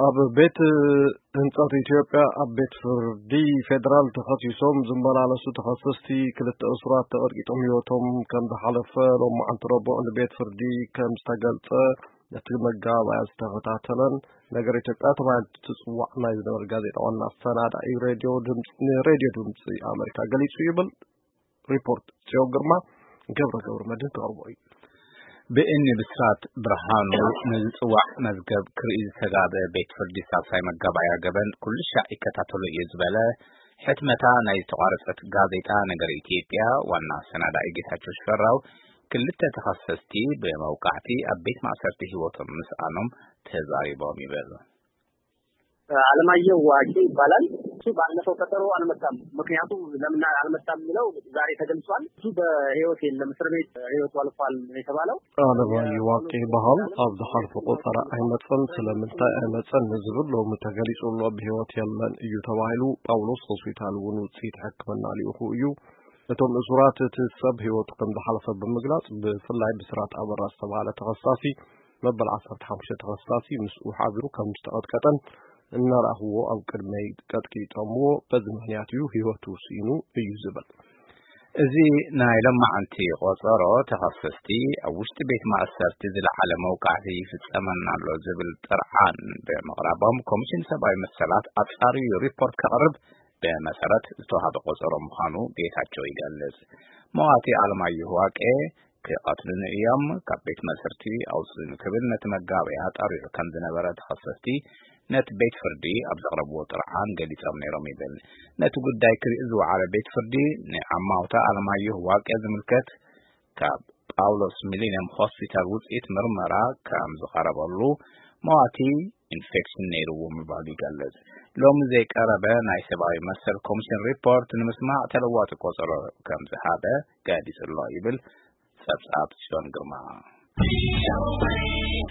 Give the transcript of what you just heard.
ኣብ ቤት ህንጸት ኢትዮጵያ ኣብ ቤት ፍርዲ ፌደራል ተኸሲሶም ዝመላለሱ ተኸሰስቲ ክልተ እሱራት ተቐጥቂጦም ህይወቶም ከም ዝሓለፈ ሎማዓንቲ ረቡዕ ንቤት ፍርዲ ከም ዝተገልጸ ነቲ መጋባእያ ዝተኸታተለን ነገር ኢትዮጵያ ተባሂሉ ትጽዋዕ ናይ ዝነበረ ጋዜጣ ዋና ኣሰናዳኢ ሬድዮ ድምፂ ንሬድዮ ድምፂ ኣሜሪካ ገሊጹ ይብል። ሪፖርት ጽዮን ግርማ ገብረ ገብረ መድህን ክቐርቦ እዩ። ብእኒ ብስራት ብርሃኑ ንዝጽዋዕ መዝገብ ክርኢ ዝተጋበ ቤት ፍርዲ ሳልሳይ መጋባእያ ገበን ኩሉ ሻዕ ይከታተሎ እዩ ዝበለ ሕትመታ ናይ ዝተቋረጸት ጋዜጣ ነገር ኢትዮጵያ ዋና ኣሰናዳኢ ጌታቸው ሽፈራው ክልተ ተኸሰስቲ ብመውቃዕቲ ኣብ ቤት ማእሰርቲ ህይወቶም ምስኣኖም ተዛሪቦም ይብል። አለማየሁ ዋቂ ይባላል። እሱ ባለፈው ቀጠሮ አልመጣም። ምክንያቱ ለምን አልመጣም የሚለው ዛሬ ተገልጿል። እሱ በህይወት የለም፣ እስር ቤት ህይወቱ አልፏል ነው የተባለው። ኣለማየሁ ዋቂ ይበሃል። ኣብ ዝሓለፈ ቆጸራ ኣይመጸን። ስለምንታይ ኣይመጸን ንዝብል ሎሚ ተገሊጹ ኣሎ። ብህይወት የለን እዩ ተባሂሉ። ጳውሎስ ሆስፒታል እውን ውፅኢት ሕክምና ልኢኹ እዩ። እቶም እሱራት እቲ ሰብ ህይወቱ ከም ዝሓለፈ ብምግላጽ ብፍላይ ብስራት ኣበራ ዝተባሃለ ተኸሳሲ መበል ዓሰርተ ሓሙሽተ ተኸሳሲ ምስኡ ሓቢሩ ከም ዝተቐጥቀጠን እናለኣኽዎ ኣብ ቅድመይ ቀጥቂጦምዎ፣ በዚ ምኽንያት እዩ ህይወቱ ስኢኑ እዩ ዝብል። እዚ ናይ ለማዓንቲ ቆጸሮ ተኸሰስቲ ኣብ ውሽጢ ቤት ማእሰርቲ ዝለዓለ መውቃዕቲ ይፍጸመና ኣሎ ዝብል ጥርዓን ብምቕራቦም ኮሚሽን ሰብኣዊ መሰላት ኣጻርዩ ሪፖርት ከቕርብ ብመሰረት ዝተዋሃበ ቆጸሮ ምዃኑ ጌታቸው ይገልጽ። መዋቲ ኣለማየሁ ዋቄ ክቐትሉኒ እዮም፣ ካብ ቤት ማእሰርቲ ኣውጽኡኒ ክብል ነቲ መጋበያ ጠሪዑ ከም ዝነበረ ተኸሰስቲ ነቲ ቤት ፍርዲ ኣብ ዘቕረብዎ ጥርዓን ገሊጾም ነይሮም ይብል። ነቲ ጉዳይ ክርኢ ዝወዓለ ቤት ፍርዲ ንዓማውታ ኣለማየሁ ዋቄ ዝምልከት ካብ ጳውሎስ ሚሊኒየም ሆስፒታል ውፅኢት ምርመራ ከም ዝቐረበሉ መዋቲ ኢንፌክሽን ነይርዎ ምባሉ ይገልጽ። ሎሚ ዘይቀረበ ናይ ሰብኣዊ መሰል ኮሚሽን ሪፖርት ንምስማዕ ተለዋጢ ቆጸሮ ከም ዝሃበ ገሊጹ ኣሎ ይብል ጸብጻብ ጽዮን ግርማ።